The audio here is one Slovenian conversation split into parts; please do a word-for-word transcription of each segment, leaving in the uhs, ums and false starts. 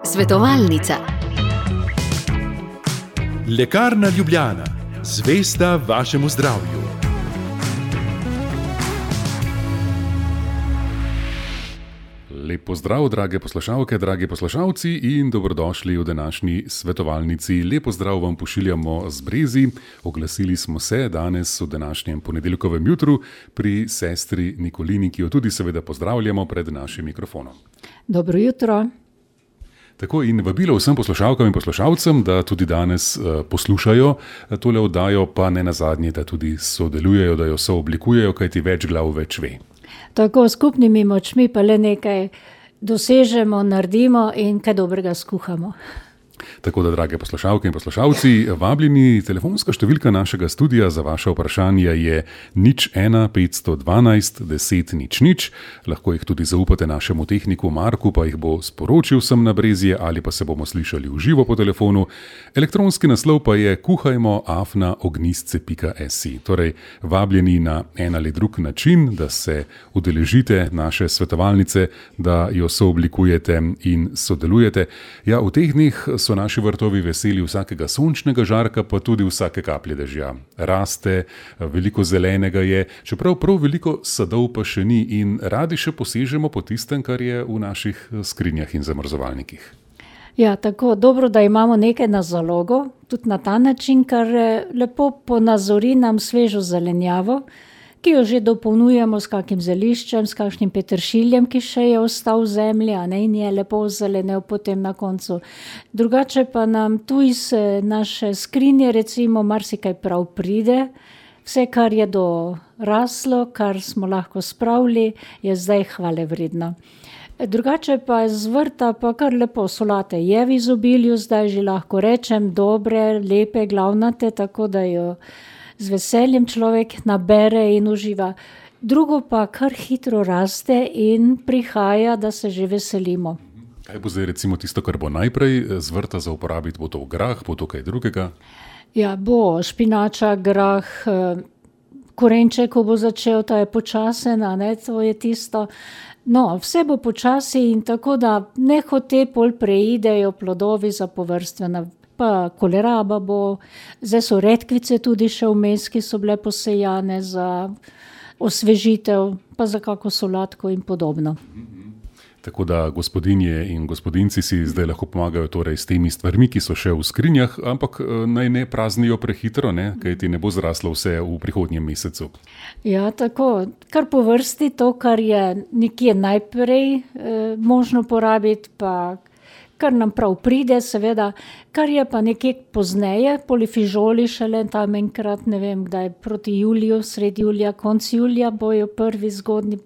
Svetovalnica. Lekarna Ljubljana, zvesta vašemu zdravju. Lep pozdrav, drage poslušalke, dragi poslušalci in dobrodošli v današnji svetovalnici. Lep pozdrav vam pošiljamo z Brezi. Oglasili smo se danes v današnjem ponedeljkovem jutru pri sestri Nikolini, ki jo tudi seveda pozdravljamo pred našim mikrofonom. Dobro jutro. Tako in vabilo vsem poslušalkam in poslušalcem, da tudi danes uh, poslušajo tole oddajo, pa ne nazadnje, da tudi sodelujejo, da jo sooblikujejo, kajti več glav več ve. Tako skupnimi močmi pa le nekaj dosežemo, naredimo in kaj dobrega skuhamo. Tako da, drage poslušalke in poslušalci, vabljeni, telefonska številka našega studia za vaše vprašanja je nič ena petsto dvanajst deset nič nič. Lahko jih tudi zaupate našemu tehniku Marku, pa jih bo sporočil sem na Brezje ali pa se bomo slišali v živo po telefonu. Elektronski naslov pa je kuhajmo afna ognistce pika si. Torej, vabljeni na en ali drug način, da se udeležite naše svetovalnice, da jo sooblikujete in sodelujete. Ja, v teh dneh so naši vrtovi veseli vsakega sončnega žarka, pa tudi vsake kaplje dežja. Raste, veliko zelenega je, čeprav prav veliko sadov pa še ni in radi še posežemo po tistem, kar je v naših skrinjah in zamrzovalnikih. Ja, tako dobro, da imamo nekaj na zalogo, tudi na ta način, kar lepo ponazori nam svežo zelenjavo, ki jo že dopolnjujemo s kakim zeliščem, s kakšnim peteršiljem, ki še je ostal v zemlji, a ne, in je lepo zelenel potem na koncu. Drugače pa nam tu iz naše skrinje recimo marsikaj prav pride. Vse, kar je doraslo, kar smo lahko spravili, je zdaj hvale vredno. Drugače pa z vrta pa kar lepo solate je v izobilju, zdaj že lahko rečem, dobre, lepe, glavnate, tako da jo z veseljem človek nabere in uživa. Drugo pa kar hitro raste in prihaja, da se že veselimo. Kaj bo zdaj recimo tisto, kar bo najprej z vrta za uporabiti? Bo to grah, bo to kaj drugega? Ja, bo špinača, grah, korenček, ko bo začel, ta je počasen, a ne, to je tisto. No, vse bo počasi in tako, da nehote pol preidejo plodovi za površtvena. Pa koleraba bo, zdaj so redkvice tudi še vmes, ki so bile posejane za osvežitev, pa za kako solatko in podobno. Tako da gospodinje in gospodinci si zdaj lahko pomagajo torej s temi stvarmi, ki so še v skrinjah, ampak naj ne praznijo prehitro, ne, kajti ne bo zraslo vse v prihodnjem mesecu. Ja, tako, kar po vrsti to, kar je nekje najprej eh, možno porabiti, pa kar nam prav pride, seveda, kar je pa nekje pozneje, polifižoli šele tam enkrat, ne vem, kdaj proti juliju, sredi julija, konc julija bojo prvi zgodni,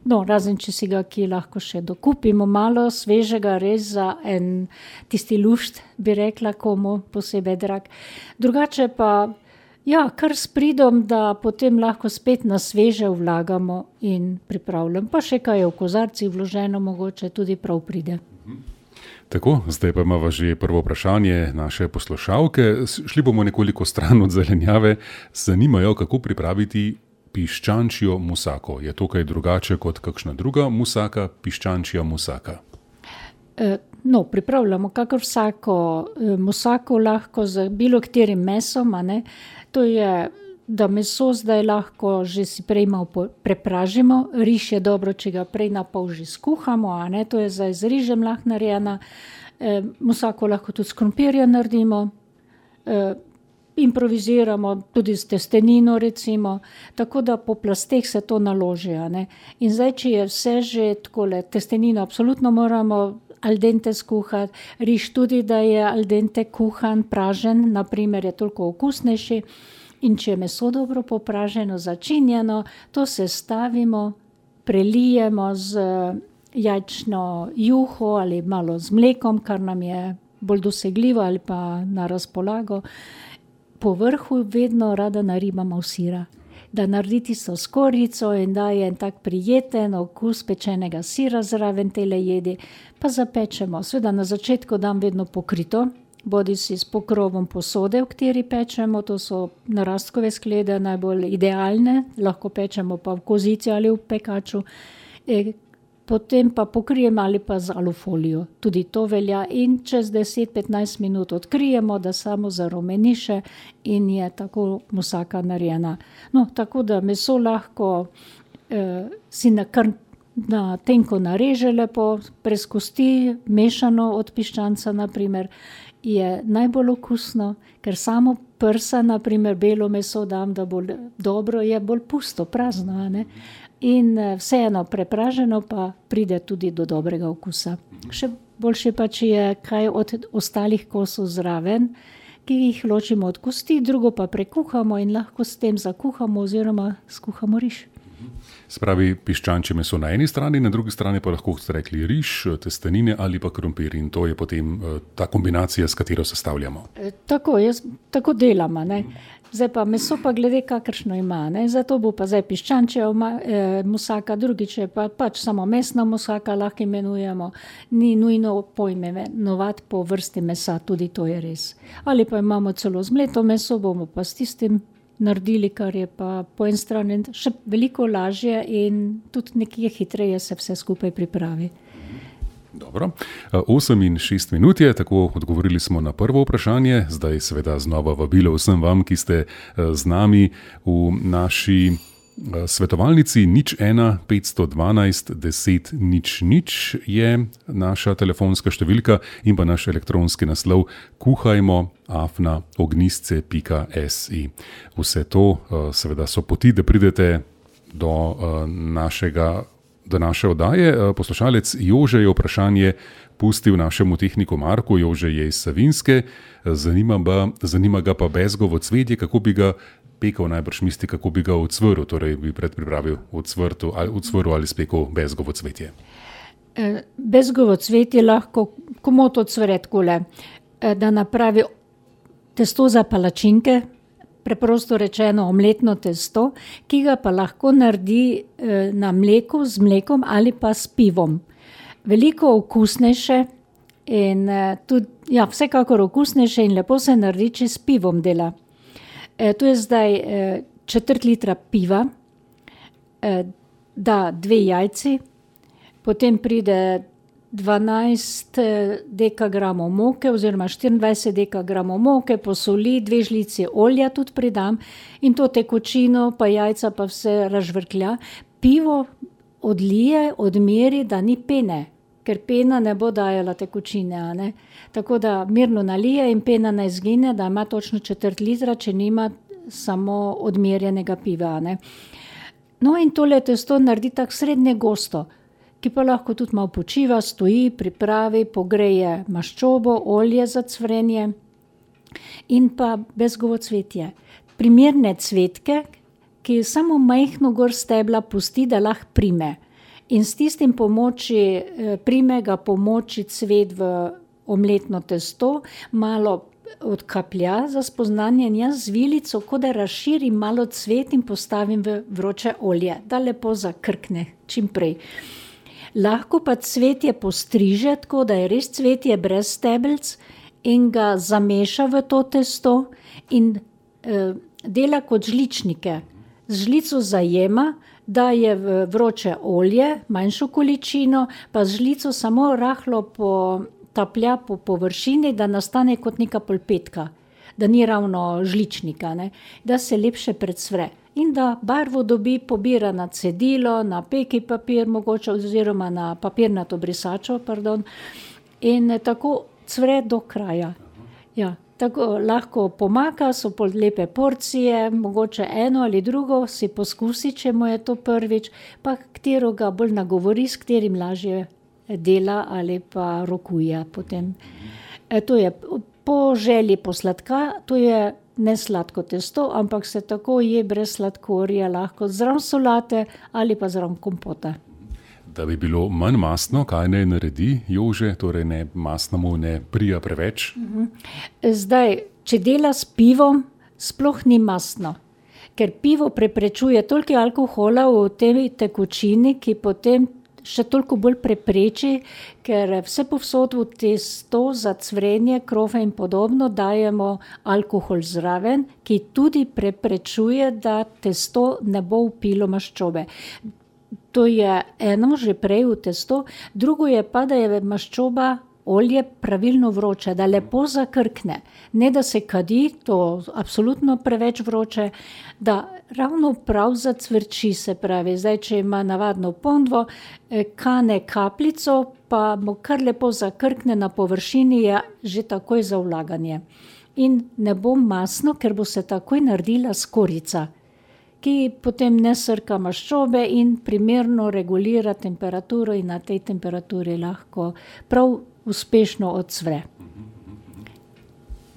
no, razen če si ga, ki lahko še dokupimo malo svežega, res za en tisti lušt, bi rekla, komu posebej drag. Drugače pa, ja, kar s pridom, da potem lahko spet na sveže vlagamo in pripravljam. Pa še kaj je v kozarcih vloženo, mogoče tudi prav pride. Tako, zdaj pa imamo že prvo vprašanje naše poslušalke. Šli bomo nekoliko stran od zelenjave. Zanimajo, kako pripraviti piščančjo musako. Je to kaj drugače kot kakšna druga musaka, piščančja musaka? E, no, pripravljamo kakor vsako e, musako lahko z bilo katerim mesom, a ne. To je, da meso zdaj lahko že si prej malo prepražimo. Riž je dobro, če ga prej na pol že skuhamo, a ne, to je zdaj z rižem lahko narejena. E, musako lahko tudi s krompirjem naredimo, e, improviziramo tudi s testenino recimo, tako da po plasteh se to naloži, a ne. In zdaj, če je vse že takole, testenino absolutno moramo al dente skuhati, riž tudi, da je al dente kuhan, pražen, naprimer je toliko okusnejši. In če je meso dobro popraženo, začinjeno, to sestavimo, prelijemo z jajčno juho ali malo z mlekom, kar nam je bolj dosegljivo ali pa na razpolago. Po vrhu vedno rada naribamo sira, da naredi tisto skorjico in daje en tak prijeten okus pečenega sira zraven tele jedi, pa zapečemo. Seveda na začetku dam vedno pokrito, bodi si s pokrovom posode, v kateri pečemo, to so narastkove sklede najbolj idealne, lahko pečemo pa v kozici ali v pekaču. E, potem pa pokrijemo ali pa z alufolijo. Tudi to velja in čez deset do petnajst minut odkrijemo, da samo zarumeniše in je tako musaka narejena. No, tako da meso lahko eh, si na, kar, na tenko nareže lepo, preskusti, mešano od piščanca naprimer, je najbolj okusno, ker samo prsa, naprimer belo meso dam, da bo dobro, je bolj pusto, prazno, ne? In vseeno prepraženo pa pride tudi do dobrega okusa. Še boljše pa, če je kaj od ostalih kosov zraven, ki jih ločimo od kosti, drugo pa prekuhamo in lahko s tem zakuhamo oziroma skuhamo riž. Spravi piščančje meso na eni strani, na drugi strani pa lahko ste rekli riž, testenine ali pa krompir in to je potem ta kombinacija, s katero sestavljamo. E, tako, jaz tako delamo, ne. Zdaj pa meso pa glede kakršno ima, ne. Zato bo pa zdaj piščančje e, musaka, drugič je pa pač samo mesna musaka, lahko imenujemo, ni nujno poimenovati po vrsti mesa, tudi to je res. Ali pa imamo celo zmleto meso, bomo pa s tistim naredili, kar je pa po eni strani še veliko lažje in tudi nekje hitreje se vse skupaj pripravi. Dobro. osem in šest minut je, tako odgovorili smo na prvo vprašanje. Zdaj seveda znova vabilo vsem vam, ki ste z nami v naši svetovalnici nič ena petsto dvanajst deset nič nič je naša telefonska številka in pa naš elektronski naslov kuhajmo afna ognistce pika si. Vse to seveda so poti, da pridete do našega do naše oddaje. Poslušalec Jože je vprašanje pustil našemu tehniku Marku. Jože je iz Savinjske, zanima, ba, zanima ga pa bezgovo cvetje, kako bi ga pekel, najbrž misli, kako bi ga ocvrl, torej bi predpripravil ocvrtu, ali, ocvrl ali spekel bezgovo cvetje. Bezgovo cvetje lahko komot ocvre takole, da napravi testo za palačinke, preprosto rečeno omletno testo, ki ga pa lahko naredi na mleku, z mlekom ali pa s pivom. Veliko okusnejše in tudi, ja, vsekakor okusnejše in lepo se naredi, če s pivom dela. E, tu je zdaj e, četrt litra piva, e, da dve jajci, potem pride dvanajst dekagramov moke oziroma štiriindvajset dekagramov moke, posoli, dve žlici olja tudi pridam in to tekočino pa jajca pa vse razžvrklja. Pivo odlije, odmeri, da ni pene, ker pena ne bo dajala tekočine, a ne. Tako da mirno nalije in pena ne izgine, da ima točno četrt litra, če nima samo odmerjenega piva, a ne. No in tole testo naredi tako srednje gosto, ki pa lahko tudi malo počiva, stoji, pripravi, pogreje maščobo, olje za cvrenje in pa bezgovo cvetje. Primerne cvetke, ki samo majhno gor stebla pusti, da lahko prime. In s tistim pomoči, prime ga pomoči cvet v omletno testo, malo odkaplja za spoznanje in jaz z vilico, ko da razširim malo cvet in postavim v vroče olje, da lepo zakrkne čim prej. Lahko pa cvetje postriže, tako da je res cvetje brez stebelc in ga zameša v to testo in e, dela kot žličnike. Z žlico zajema, da je v vroče olje, manjšo količino, pa z žlico samo rahlo potaplja po površini, da nastane kot neka polpetka, da ni ravno žličnika, ne? Da se lepše predsvre. In da barvo dobi, pobira na cedilo, na peki papir mogoče oziroma na papirnato brisačo, pardon, in tako cvre do kraja. Ja, tako lahko pomaka, so pol lepe porcije, mogoče eno ali drugo si poskusi, če mu je to prvič, pa katero ga bolj nagovori, s katerim lažje dela ali pa rokuje potem. E, to je po želji po sladka, to je ne sladko testo, ampak se tako je brez sladkorja, lahko zraven solate ali pa zraven kompota. Da bi bilo manj mastno, kaj naj naredi Jože, torej ne mastnemu ne prija preveč? Zdaj, če dela s pivom, sploh ni mastno, ker pivo preprečuje toliko alkohola v tej tekočini, ki potem še toliko bolj prepreči, ker vse povsod v testo za cvrenje, krofe in podobno dajemo alkohol zraven, ki tudi preprečuje, da testo ne bo vpilo maščobe. To je eno že prej v testo, drugo je pa, da je maščoba olje pravilno vroče, da lepo zakrkne. Ne, da se kadi, to absolutno preveč vroče, da ravno prav zacvrči, se pravi. Zdaj, če ima navadno ponvo, kane kapljico, pa mu kar lepo zakrkne na površini, je že takoj za vlaganje. In ne bo masno, ker bo se takoj naredila skorica, ki potem ne srka maščobe in primerno regulira temperaturo in na tej temperaturi lahko prav uspešno odsvre.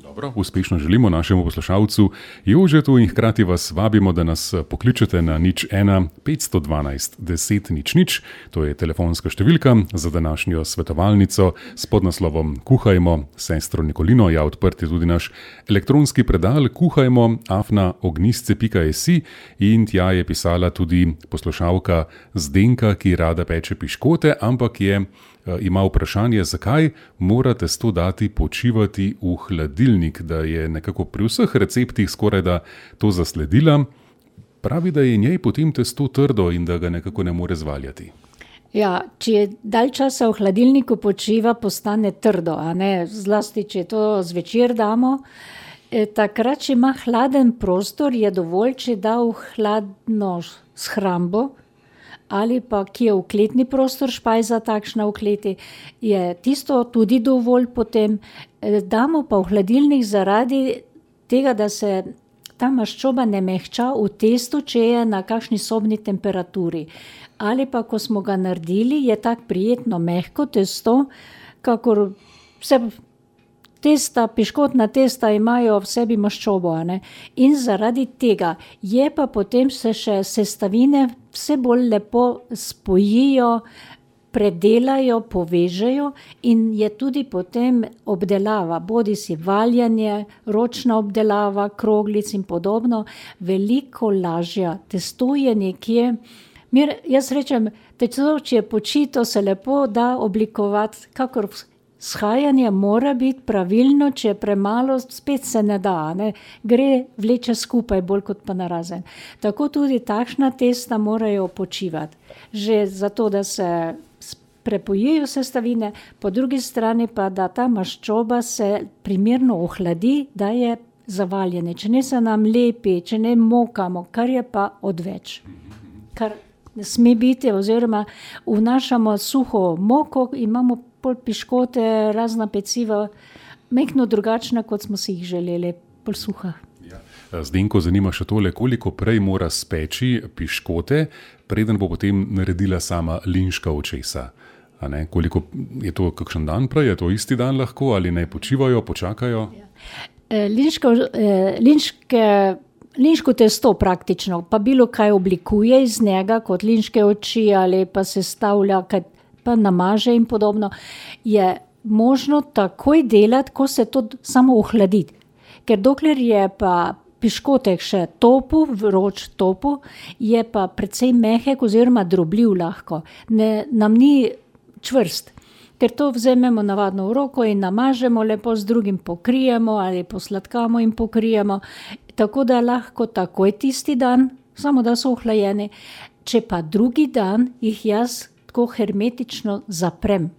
Dobro, uspešno želimo našemu poslušalcu Jožetu in hkrati vas vabimo, da nas pokličete na nič ena petsto dvanajst deset nič nič. To je telefonska številka za današnjo svetovalnico s podnaslovom Kuhajmo sestro Nikolino. Ja, odprt je tudi naš elektronski predal kuhajmo afna ognjisce pika si in tja je pisala tudi poslušalka Zdenka, ki rada peče piškote, ampak je ima vprašanje, zakaj mora testo dati počivati v hladilnik, da je nekako pri vseh receptih skoraj da to zasledila. Pravi, da je njej potem testo trdo in da ga nekako ne more zvaljati. Ja, če je dalj časa v hladilniku počiva, postane trdo, a ne, zlasti, če to zvečer damo. E, takrat, če ima hladen prostor, je dovolj, če da v hladno shrambo, ali pa ki je vkletni prostor, špajza takšna v kleti, je tisto tudi dovolj potem. Damo pa v hladilnik zaradi tega, da se ta maščoba ne mehča v testu, če je na kakšni sobni temperaturi. Ali pa, ko smo ga naredili, je tak prijetno mehko testo, kakor vse testa, piškotna testa imajo v sebi maščobo, a ne. In zaradi tega je pa potem se še sestavine vse bolj lepo spojijo, predelajo, povežejo in je tudi potem obdelava, bodi si valjanje, ročna obdelava, kroglic in podobno, veliko lažja. Testo je nekje, mir, jaz rečem, testo, če je počito, se lepo da oblikovati, kakor shajanje mora biti pravilno, če je premalo, spet se ne da, ne? Gre vleče skupaj, bolj kot pa narazen. Tako tudi takšna testa morajo počivati. Že zato, da se prepojijo sestavine, po drugi strani pa, da ta maščoba se primerno ohladi, da je zavaljene. Če ne se nam lepi, če ne mokamo, kar je pa odveč. Kar ne sme biti, oziroma vnašamo suho moko, imamo pol piškote, razna peciva, mehko drugačna, kot smo si jih želeli, pol suha. Ja. Zdenko, zanima še tole, koliko prej mora speči piškote, preden bo potem naredila sama linška očesa. A ne? Koliko je to kakšen dan prej, je to isti dan lahko, ali naj počivajo, počakajo? Ja. E, linška, e, linške, linško testo praktično, pa bilo kaj oblikuje iz njega, kot linške oči, ali pa se stavlja, kaj pa namaže in podobno, je možno takoj delati, ko se to samo ohladi. Ker dokler je pa piškotek še topu, vroč topu, je pa precej mehek oziroma drobljiv lahko. Ne, nam ni čvrst, ker to vzememo navadno v roko in namažemo, lepo z drugim pokrijemo ali posladkamo in pokrijemo, tako da lahko takoj tisti dan, samo da so ohlajeni. Če pa drugi dan jih jaz tako hermetično zaprem.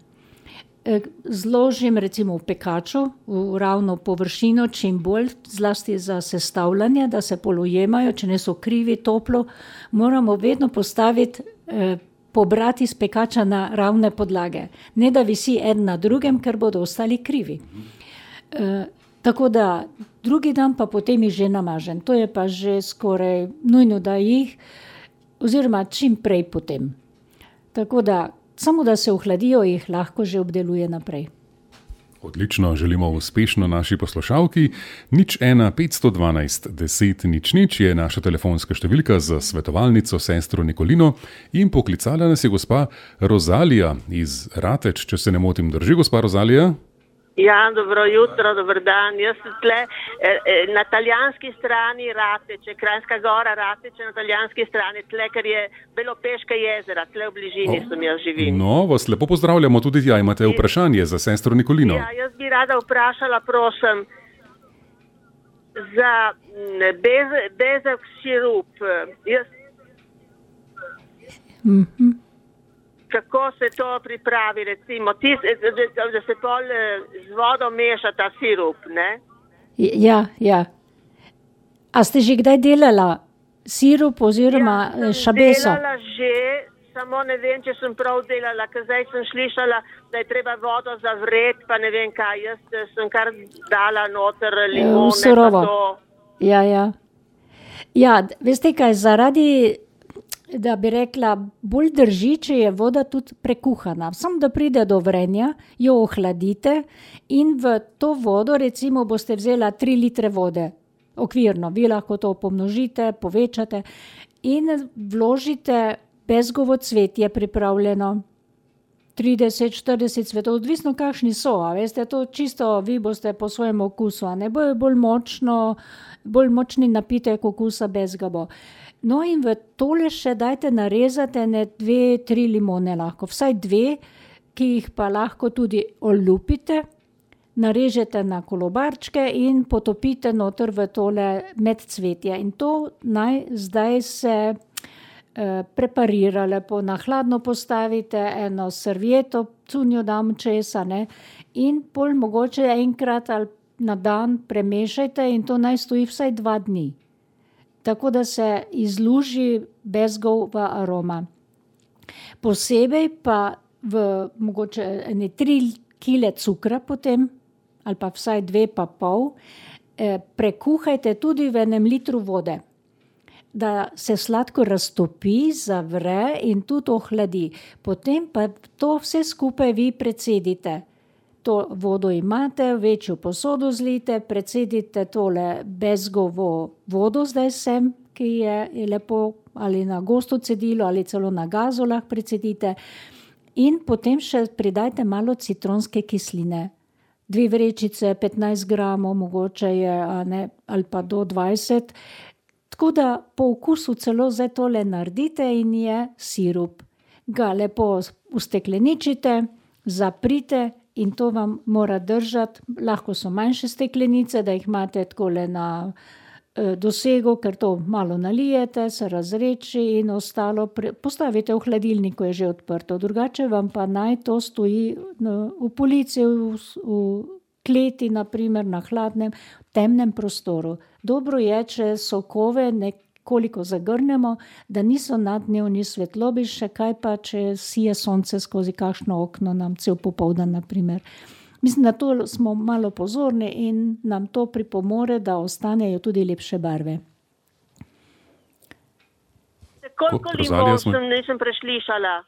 Zložim recimo v pekaču, v ravno površino, čim bolj, zlasti za sestavljanje, da se polujemajo, če ne so krivi, toplo, moramo vedno postaviti, eh, pobrati iz pekača na ravne podlage. Ne da visi en na drugem, ker bodo ostali krivi. Eh, tako da drugi dan pa potem jih že namažem. To je pa že skoraj nujno, da jih, oziroma čim prej potem. Tako da, samo da se ohladijo, jih lahko že obdeluje naprej. Odlično, želimo uspešno naši poslušalki. nič ena petsto dvanajst deset nič nič je naša telefonska številka za svetovalnico sestro Nikolino in poklicala nas je gospa Rozalija iz Rateč, če se ne motim. Drži, gospa Rozalija? Ja, dobro jutro, dober dan. Jaz sem tle eh, na italijanski strani Rateče, Kranjska Gora, Rateče na italijanski strani, tle, ker je Belopeška jezera, tle v bližini oh, sem jaz živim. No, vas lepo pozdravljamo tudi tja. Imate vprašanje za sestro Nikolino? Ja, jaz bi rada vprašala, prosim, za bez, bezak sirup. Jaz Mhm. Kako se to pripravi, recimo, tis, da, da se pol z vodo meša ta sirup, ne? Ja, ja. A ste že kdaj delala sirup oziroma ja, šabeso? Delala že, samo ne vem, če sem prav delala, ker zdaj sem slišala, da je treba vodo zavreti, pa ne vem kaj, jaz sem kar dala noter limone. Surovo. Pa to. Ja, ja. Ja, veste kaj, zaradi, da bi rekla, bolj drži, če je voda tudi prekuhana. Sam, da pride do vrenja, jo ohladite in v to vodo, recimo, boste vzela tri litre vode, okvirno, vi lahko to pomnožite, povečate in vložite bezgovo cvetje pripravljeno. trideset, štirideset cvetov, odvisno kakšni so, a veste, to čisto vi boste po svojem okusu, a ne bojo bolj močno, bolj močni napitek okusa bezga bo. No in v tole še dajte narezati ne dve, tri limone lahko, vsaj dve, ki jih pa lahko tudi olupite, narežete na kolobarčke in potopite noter v tole med cvetje. In to naj zdaj se eh, preparira lepo, na hladno postavite eno servieto, cunjo dam česa, ne, in pol mogoče enkrat ali na dan premešajte in to naj stoji vsaj dva dni. Tako da se izluži bezgova aroma. Posebej pa v mogoče ene tri kile cukra potem, ali pa vsaj dve pa pol, eh, prekuhajte tudi v enem litru vode, da se sladkor raztopi, zavre in tudi ohladi. Potem pa to vse skupaj vi precedite. To vodo imate, večjo posodo zlijte, precedite tole bezgovo vodo zdaj sem, ki je, je lepo ali na gosto cedilo ali celo na gazo lahko precedite in potem še pridajte malo citronske kisline. Dve vrečice, petnajst gramov, mogoče je, a ne, ali pa do dvajset. Tako da po okusu celo zdaj tole naredite in je sirup. Ga lepo ustekleničite, zaprite in to vam mora držati, lahko so manjše steklenice, da jih imate takole na eh, dosegu, ker to malo nalijete, se razreči in ostalo pre, postavite v hladilnik, ko je že odprto. Drugače vam pa naj to stoji no, v polici, v, v kleti, naprimer na hladnem, temnem prostoru. Dobro je, če sokove nekoliko zagrnemo, da niso naddnevni svetlobi, še kaj pa, če sije sonce skozi kakšno okno nam cel popoldan, naprimer. Mislim, da to smo malo pozorni in nam to pripomore, da ostanejo tudi lepše barve. Koliko limon smo... sem nisem preslišala?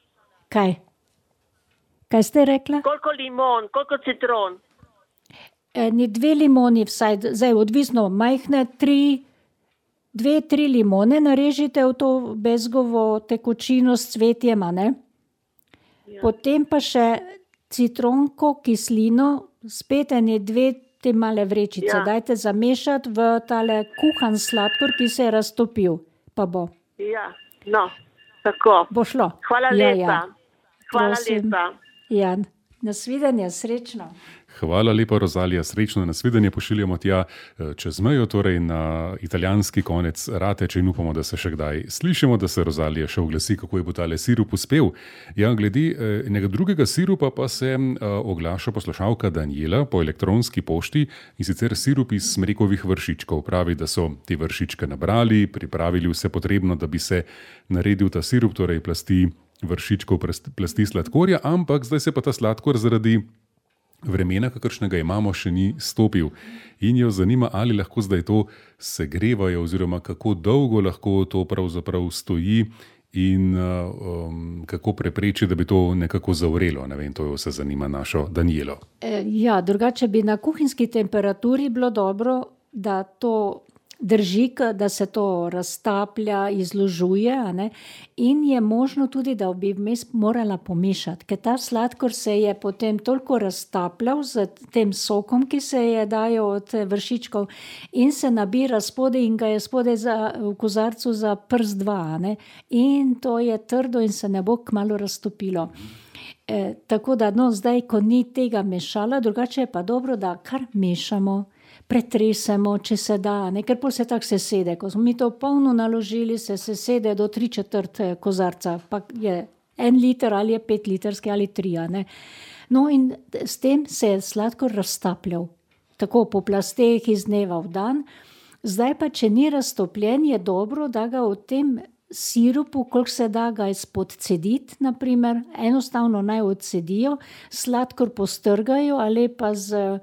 Kaj? Kaj ste rekla? Koliko limon, koliko citron? Eni dve limoni vsaj, zdaj odvisno, majhne tri, dve, tri limone narežite v to bezgovo tekočino s cvetjem, a ne? Ja. Potem pa še citronko, kislino, spet ene dve te male vrečice. Ja. Dajte zamešati v tale kuhan sladkor, ki se je raztopil. Pa bo. Ja, no, tako. Bo šlo. Hvala ja, lepa. Ja. Hvala Prosim. lepa. Ja, nasvidenje, srečno. Hvala lepa, Rozalija, srečno nasvidenje pošiljamo tja čez mejo, torej na italijanski konec Rateče in upamo, da se še kdaj slišimo, da se Rozalija še oglasi, kako je bo tale sirup uspel. Ja, glede enega drugega sirupa pa se oglaša poslušalka Daniela po elektronski pošti in sicer sirup iz smrekovih vršičkov. Pravi, da so te vršičke nabrali, pripravili vse potrebno, da bi se naredil ta sirup, torej plasti vršičkov, plasti sladkorja, ampak zdaj se pa ta sladkor zaradi vremena, kakršnega imamo, še ni stopil. In jo zanima, ali lahko zdaj to segrevajo oziroma kako dolgo lahko to pravzaprav stoji in um, kako prepreči, da bi to nekako zavrelo. Ne vem, to jo se zanima našo Danielo. E, ja, drugače bi na kuhinjski temperaturi bilo dobro, da to drži, da se to raztaplja, izložuje, a ne? In je možno tudi, da bi vmes morala pomešati, ker ta sladkor se je potem toliko raztapljal z tem sokom, ki se je dajo od vršičkov in se nabira spode in ga je spode za, v kozarcu za prst dva, a ne? In to je trdo in se ne bo kmalu raztopilo. E, tako da, no, zdaj, ko ni tega mešala, drugače je pa dobro, da kar mešamo. pretresemo, če se da, ne, ker pol se tako sesede. Ko smo mi to polno naložili, se sesede do tri četrt kozarca, pa je en liter ali je pet litrski ali tri, ne. No in s tem se je sladkor raztapljal, tako po plasteh iz dneva v dan. Zdaj pa, če ni raztopljen, je dobro, da ga v tem sirupu, koliko se da ga spodcediti, naprimer, enostavno naj odcedijo, sladkor postrgajo ali pa z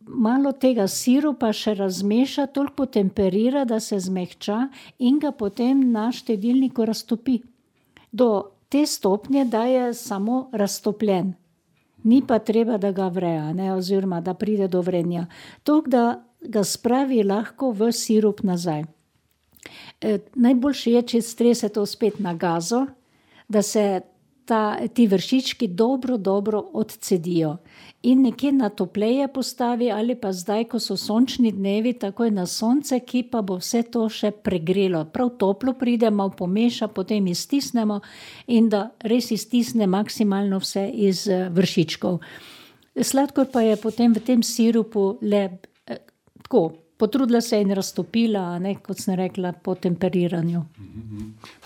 malo tega sirupa še razmeša, toliko potemperira, da se zmehča in ga potem na štedilniku raztopi. Do te stopnje, da je samo raztopljen. Ni pa treba, da ga vreja, ne, oziroma da pride do vrenja. Toliko, da ga spravi lahko v sirup nazaj. E, najboljše je, če strese to spet na gazo, da se ta, ti vršički dobro, dobro odcedijo. In nekje na topleje postavi ali pa zdaj, ko so sončni dnevi, takoj na sonce, ki pa bo vse to še pregrelo. Prav toplo pride, malo pomeša, potem iztisnemo in da res iztisne maksimalno vse iz vršičkov. Sladkor pa je potem v tem sirupu le eh, tako, potrudila se in raztopila, ne, kot sem rekla, po temperiranju.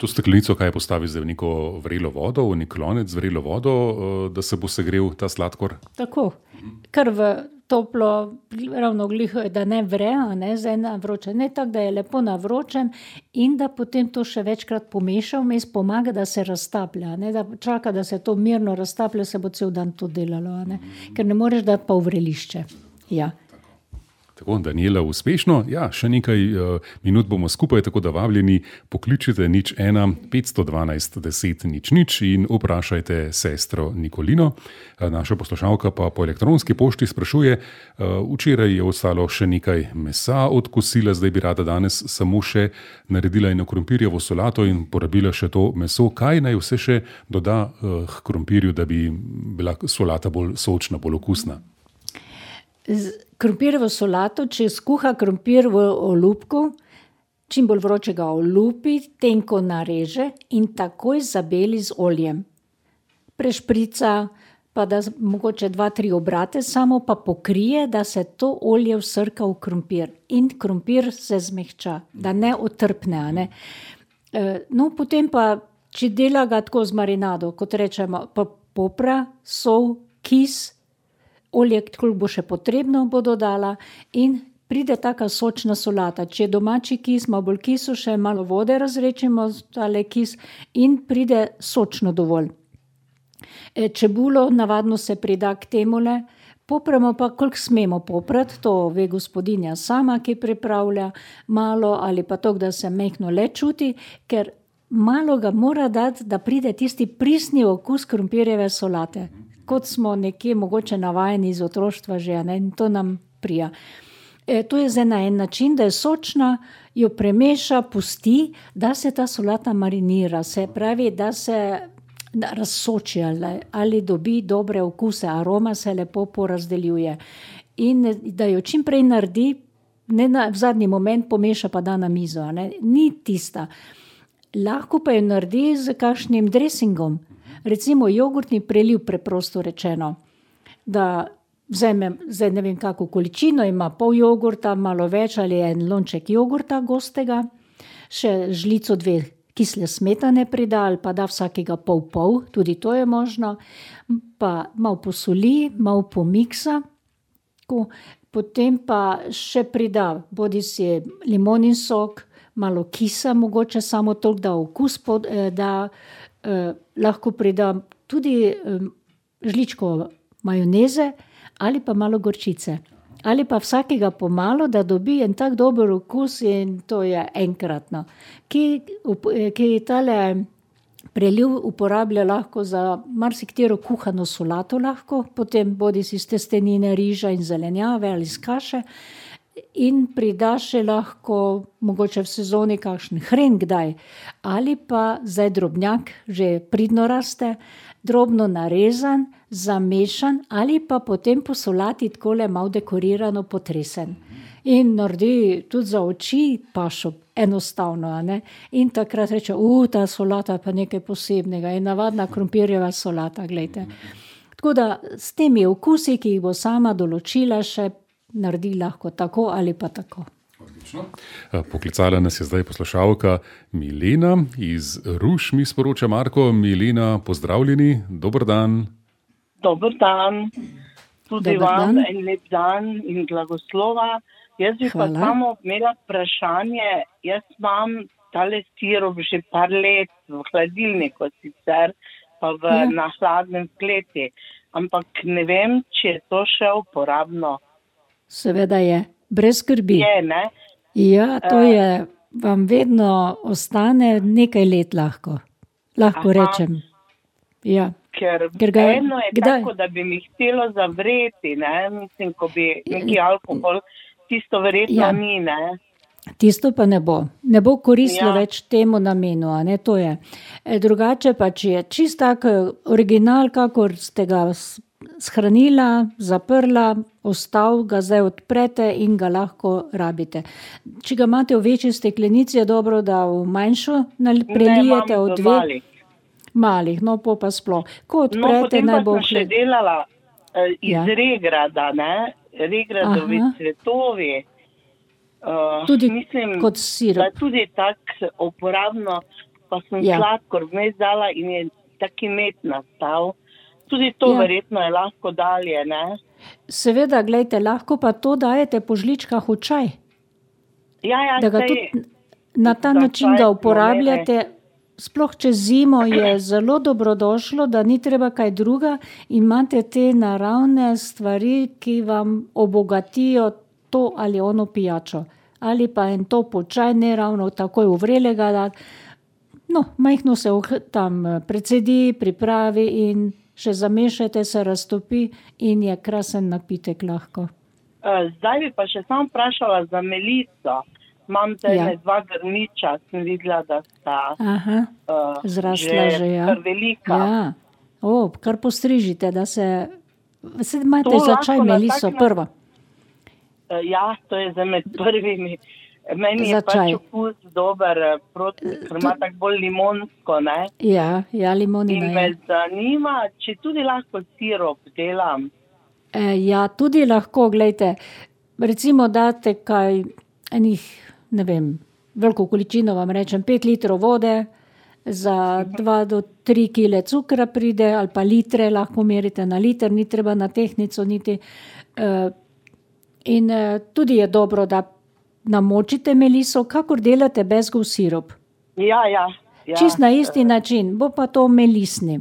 To steklenico, kaj postavi zdaj v neko vrelo vodo, v nek lonec z vrelo vodo, da se bo segrel ta sladkor? Tako, kar v toplo, ravno gliho, da ne vre, ne, zdaj na vroče, ne tako, da je lepo na vročem in da potem to še večkrat pomeša, vmes pomaga, da se raztaplja, ne, da čaka, da se to mirno raztaplja, se bo cel dan to delalo, ne, ker ne moreš dati pa v vrelišče. Ja. Tako, Daniela, uspešno. Ja, še nekaj uh, minut bomo skupaj, tako da vabljeni pokličite nič ena petsto dvanajst deset nič nič in vprašajte sestro Nikolino. Uh, naša poslušalka pa po elektronski pošti sprašuje, uh, včeraj je ostalo še nekaj mesa od kosila, zdaj bi rada danes samo še naredila eno krompirjevo solato in porabila še to meso. Kaj naj vse še doda uh, k krompirju, da bi bila solata bolj sočna, bolj okusna? Krompirjevo solato, če skuha krompir v olupku, čim bolj vročega olupi, tenko nareže in takoj zabeli z oljem. Prešprica, pa da mogoče dva, tri obrate, samo pa pokrije, da se to olje vsrka v krompir in krompir se zmehča, da ne otrpne. Ne? No, potem pa, če dela ga tako z marinado, kot rečemo, pa popra, sol, kis, olje, koliko bo še potrebno, bo dodala in pride taka sočna solata. Če je domači kis, malo bolj kisu, še malo vode razrečimo, tale kis in pride sočno dovolj. E, čebulo navadno se prida k temule, popramo pa, koliko smemo poprati, to ve gospodinja sama, ki pripravlja malo ali pa to, da se mehno le čuti, ker malo ga mora dati, da pride tisti prisni okus krompirjeve solate. Kot smo nekje mogoče navajeni iz otroštva že, ne? In to nam prija. E, to je zdaj na en način, da je sočna, jo premeša, pusti, da se ta solata marinira, se pravi, da se razsoči ali, ali dobi dobre okuse, aroma se lepo porazdeljuje. In da jo čim prej naredi, ne na, v zadnji moment pomeša pa da na mizo, ne? Ni tista. Lahko pa jo naredi z kakšnim dressingom. Recimo jogurtni preliv, preprosto rečeno, da vzame, zdaj ne vem kako količino, ima pol jogurta, malo več ali en lonček jogurta gostega, še žlico dve kisle smetane prida ali pa da vsakega pol pol, tudi to je možno, pa malo posoli, malo pomiksa, potem pa še prida bodi si limonin sok, malo kisa, mogoče samo toliko, da okus pod, da Eh, lahko pridam tudi eh, žličko majoneze ali pa malo gorčice. Ali pa vsakega pomalo, da dobi en tak dober okus in to je enkratno. Ki, ki tale preliv uporablja lahko za marsikatero kuhano solato lahko, potem bodi si iz testenine, riža in zelenjave ali iz kaše. In prida še lahko, mogoče v sezoni, kakšen hren kdaj, ali pa zdaj drobnjak, že pridno raste, drobno narezan, zamešan ali pa potem po solati takole malo dekorirano potresen. In naredi tudi za oči pašo, enostavno, a ne? In takrat reče, u, ta solata pa nekaj posebnega, je navadna krompirjeva solata, glejte. Tako da s temi okusi, ki jih bo sama določila še, naredi lahko tako ali pa tako. Odlično. Poklicala nas je zdaj poslušalka Milena iz Ruš, mi sporoča Marko. Milena, pozdravljeni, dober dan. Dober dan, tudi Dober vam dan. en lep dan in blagoslova. Jaz bi pa Hvala. samo imela vprašanje, jaz imam tale sirup že par let v hladilniku sicer, pa v, Ja. na hladnem kleti, ampak ne vem, če je to še uporabno. Seveda je, brez skrbi. Je, ne? Ja, to je, vam vedno ostane nekaj let lahko. Lahko Aha. rečem. Ja. Ker, Ker ga- eno je kdaj? tako, da bi mi htelo zavreti, ne? Mislim, ko bi neki alkohol, tisto verjetno Ja. ni, ne? Tisto pa ne bo. Ne bo koristilo Ja. več temu namenu, a ne, to je. E, drugače pa, če je čist tak eh, original, kakor ste ga s- shranila, zaprla, ostal, ga zdaj odprete in ga lahko rabite. Če ga imate v večji steklenici, je dobro, da v manjšo nal- prelijete imam v v dve malih. malih, no po pa sploh. Ko No, odprete, potem naj pa bo sem še hled- delala uh, iz Ja. ja. regrada, ne? Regradovi Aha. cvetovi. Uh, Tudi mislim, kot da sirup. je tudi tako uporabno, pa sem Ja. ja. sladkor vmes dala in je taki med nastal. Tudi to Ja. ja. verjetno je lahko dalje, ne? Seveda, gledajte, lahko pa to dajete po žličkah v čaj. Ja, ja, Da ga saj- tudi na ta za način čaj ga smo uporabljate. Sploh čez zimo je zelo dobrodošlo, da ni treba kaj druga, imate te naravne stvari, ki vam obogatijo to ali ono pijačo. Ali pa en topel čaj, ne ravno takoj uvrelega dati. No, majhno se oh- tam eh, precedi, pripravi in še zamešajte, se raztopi in je krasen napitek lahko. Uh, zdaj bi pa še sam vprašala za melico. Imam te Ja. ja. dva grmiča, sem videla, da sta Aha, uh, zrasla že, ja. kar velika. Ja, o, kar postrižite, da se, se imate To za lahko čaj na meliso tak prvo. Uh, ja, to je za med prvimi. Meni Za je pač čaj. okus dober, eh, proti, ker ima tako bolj limonsko, ne? Ja, ja, limonina In me je. zanima, če tudi lahko sirup delam. E, ja, tudi lahko, gledajte, recimo date kaj enih, ne vem, veliko količino vam rečem, pet litrov vode, za dva do tri kile cukra pride, ali pa litre, lahko merite na liter, ni treba na tehnico niti. E, in e, tudi je dobro, da namočite meliso, kakor delate bezgov sirup. Ja, ja. ja. Čist na isti način, bo pa to melisni.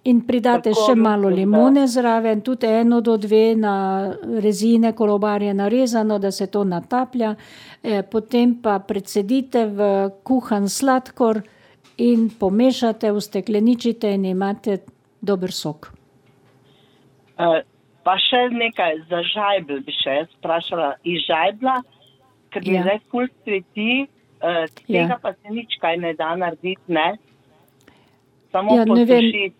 In pridate Tako še malo mislim, da- limone zraven, tudi eno do dve na rezine kolobarje narezano, da se to nataplja. E, potem pa precedite v kuhan sladkor in pomešate, ustekleničite in imate dober sok. Uh, pa še nekaj za žajbl bi še jaz vprašala. Iz žajbla, ker mi Ja. zdaj ful cveti, uh, tega Ja. pa se nič kaj ne da narediti, ne? Samo Ja, ne vem. posušiti.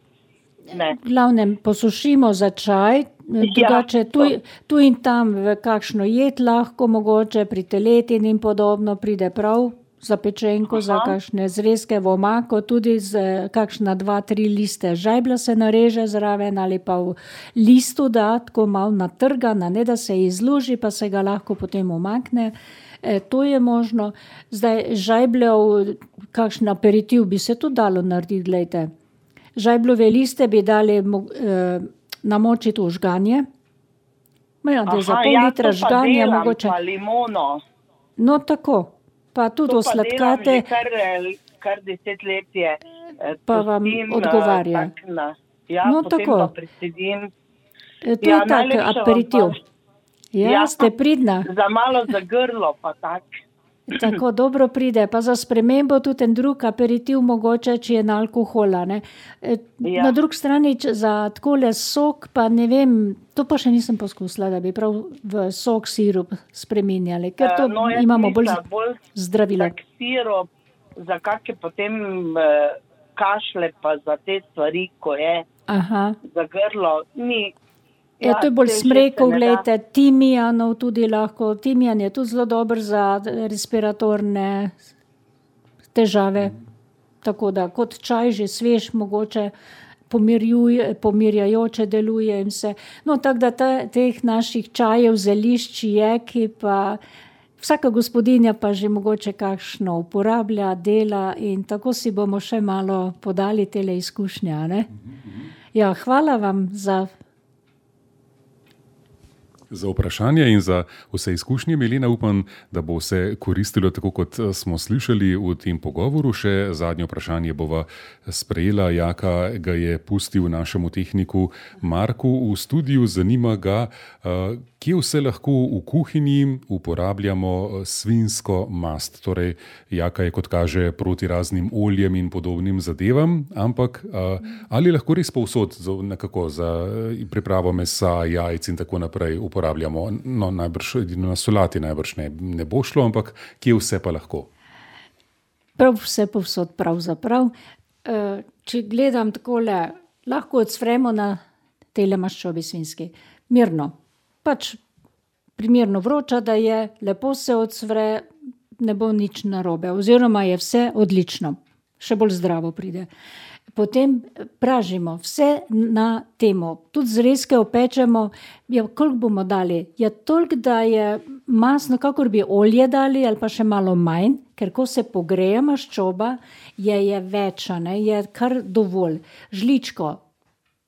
Ne. V glavnem posušimo za čaj, drugače tu, tu in tam v kakšno jed lahko, mogoče pri teletini in podobno pride prav za pečenko, za Aha. kakšne zrezke v omako, tudi z eh, kakšna dva, tri liste žajbla se nareže zraven ali pa v listu da, tako malo natrgana, ne da se izluži, pa se ga lahko potem omakne. E, to je možno. Zdaj žajbljev, kakšen aperitiv bi se tudi dalo narediti, gledajte. Žajbljove liste bi dali mo- eh, namočiti v žganje. Ja, da za Aha, pol ja, litra to pa žganja delam, mogoče. pa limono. No tako, pa tudi To pa delam osladkate, že kar, eh, kar deset let je. eh, Pa vam pustim, eh, odgovarja. tak na- Ja, No, potem tako. pa precedim. eh, to Ja, je tak najlepša vam aperitiv. hvala. Ja, Ja. ste pridna, Za malo za grlo pa tak. tako dobro pride, pa za spremembo tudi en drug aperitiv mogoče, če je na alkohola. Ne. E, Ja. Na drugi strani če za takole sok, pa ne vem, to pa še nisem poskusila, da bi prav v sok sirup spreminjali, ker to Eh, no, jaz imamo bolj mislim, bolj zdravilo. tak sirup, za kakšne potem eh, kašle, pa za te stvari, ko je Aha. za grlo, ni. Ja, to je bolj saj že smrekov, se ne da. gledajte, timijanov tudi lahko. Timijan je tudi zelo dober za respiratorne težave. Tako da kot čaj že svež mogoče pomirjuje, pomirjajoče deluje in vse. No, tako da ta, teh naših čajev, zelišč je, ki pa vsaka gospodinja pa že mogoče kakšno uporablja, dela in tako si bomo še malo podali tele izkušnje, ne? Ja, hvala vam za Za vprašanje in za vse izkušnje, Milena, upam, da bo vse koristilo tako, kot smo slišali v tem pogovoru. Še zadnje vprašanje bova sprejela. Jaka ga je pustil našemu tehniku Marku v studiu. Zanima ga, kje vse lahko v kuhinji uporabljamo svinjsko mast. Torej, Jaka je, kot kaže, proti raznim oljem in podobnim zadevam, ampak ali lahko res povsod nekako za pripravo mesa, jajc in tako naprej uporabljamo? No, najbrž na solati najbrž ne, ne bo šlo, ampak kje vse pa lahko? Prav vse povsod pravzaprav. Če gledam takole, lahko odsvremo na tele maščobi svinjski. Mirno. Pač primerno vroča, da je, lepo se odsvre, ne bo nič narobe. Oziroma je vse odlično. Še bolj zdravo pride. Potem pražimo vse na temo. Tudi zrezke opečemo. Ja, koliko bomo dali? Ja, toliko, da je masno, kakor bi olje dali, ali pa še malo manj, ker ko se pogreje maščoba, je, je več, ne? Je kar dovolj. Žličko.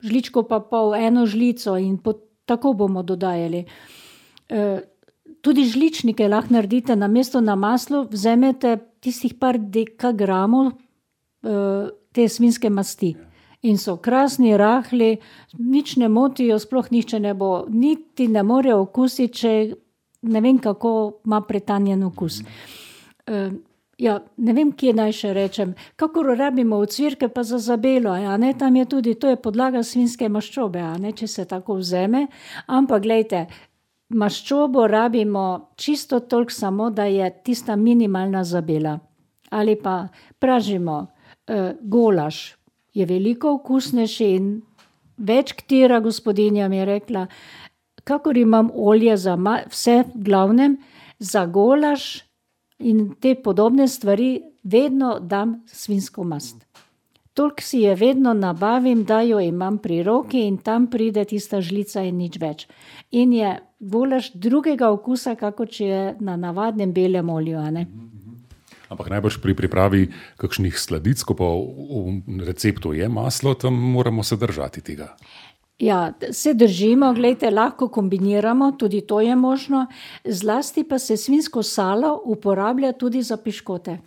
Žličko pa pol, eno žlico in po, tako bomo dodajali. E, tudi žličnike lahko naredite, namesto na maslu vzemete tistih par dekagramov e, te svinjske masti. In so krasni, rahli, nič ne motijo, sploh nišče ne bo, niti ne more okusiti, če ne vem, kako ima pretanjen okus. E, ja, ne vem, kje naj še rečem. Kakor rabimo ocvirke pa za zabelo, a ne, tam je tudi, to je podlaga svinjske maščobe, a ne, če se tako vzeme. Ampak, glejte, maščobo rabimo čisto toliko samo, da je tista minimalna zabela. Ali pa pražimo Uh, golaž je veliko okusnejši in več katera gospodinja mi je rekla, kakor imam olje za ma- vse v glavnem, za golaž in te podobne stvari vedno dam svinjsko mast. Toliko si je vedno nabavim, da jo imam pri roki in tam pride tista žlica in nič več. In je golaž drugega okusa, kako če je na navadnem belem olju, a ne? Ampak najbrž pri pripravi kakšnih sladic, ko pa v receptu je maslo, tam moramo se držati tega. Ja, se držimo, glejte, lahko kombiniramo, tudi to je možno. Zlasti pa se svinjsko salo uporablja tudi za piškote.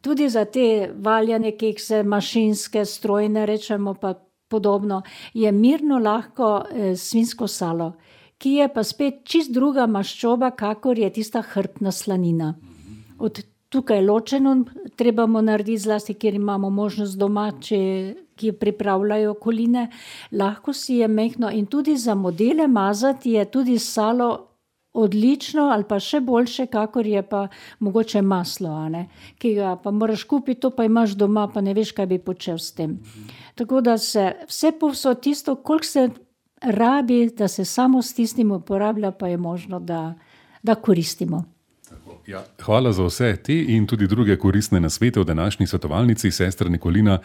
Tudi za te valjane kekse, mašinske, strojne, rečemo pa podobno, je mirno lahko eh, svinjsko salo, ki je pa spet čist druga maščoba, kakor je tista hrbtna slanina. Od tukaj ločeno trebamo narediti, zlasti, kjer imamo možnost doma, če, ki pripravljajo koline. Lahko si je mehno in tudi za modele mazati je tudi salo odlično ali pa še boljše, kakor je pa mogoče maslo, a ne? Ki ga pa moraš kupiti, to pa imaš doma, pa ne veš, kaj bi počel s tem. Tako da se vse povsod tisto, koliko se rabi, da se samo s tistim uporablja, pa je možno, da, da koristimo. Ja, hvala za vse te in tudi druge koristne nasvete v današnji svetovalnici, sestra Nikolina,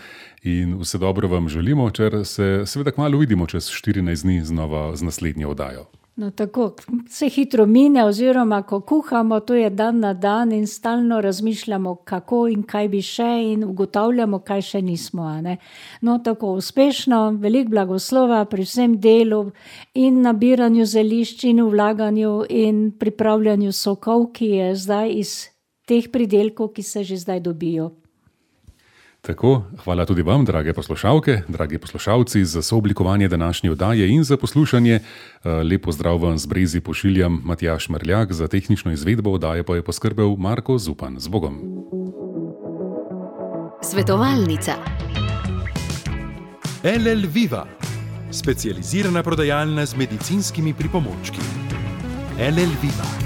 in vse dobro vam želimo, če se seveda kmalu vidimo čez štirinajst dni znova z naslednjo oddajo. No tako, se hitro mine, oziroma ko kuhamo, to je dan na dan in stalno razmišljamo, kako in kaj bi še in ugotavljamo, kaj še nismo, a ne. No tako, uspešno, veliko blagoslova pri vsem delu in nabiranju zelišč in vlaganju in pripravljanju sokov, ki je zdaj iz teh pridelkov, ki se že zdaj dobijo. Tako, hvala tudi vam, drage poslušalke, dragi poslušalci, za sooblikovanje današnje oddaje in za poslušanje. Lep pozdrav vam z Brezi pošiljam Matjaž Merljak, za tehnično izvedbo oddaje pa je poskrbel Marko Zupan. Z Bogom. Svetovalnica. L L Viva, specializirana prodajalna z medicinskimi pripomočki. L L Viva.